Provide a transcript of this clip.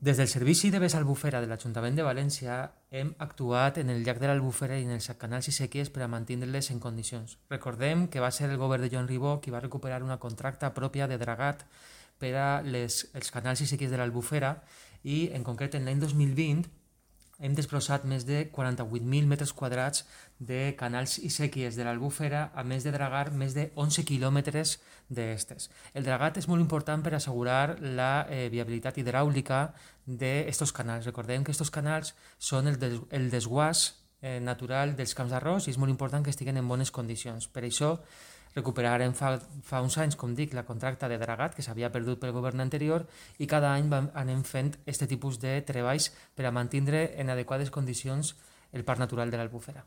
Des del Servici de Vés Albufera de l'Ajuntament de València hem actuat en el llac de l'Albufera i en els canals i sèquies per a mantenir-les en condicions. Recordem que va ser el govern de Joan Ribó qui va recuperar una contracta pròpia de dragat per a els canals i sèquies de l'Albufera i, en concret, en l'any 2020 hem desbrossat més de 48.000 metres quadrats de canals i sèquies de l'Albufera, a més de dragar més de 11 quilòmetres d'estes. El dragat és molt important per assegurar la viabilitat hidràulica d'estos canals. Recordem que estos canals són el desguàs natural dels camps d'arròs i és molt important que estiguen en bones condicions. Per això recuperarem fa uns anys, com dic, la contracta de dragat que s'havia perdut pel govern anterior i cada any anem fent aquest tipus de treballs per a mantenir en adequades condicions el parc natural de l'Albufera.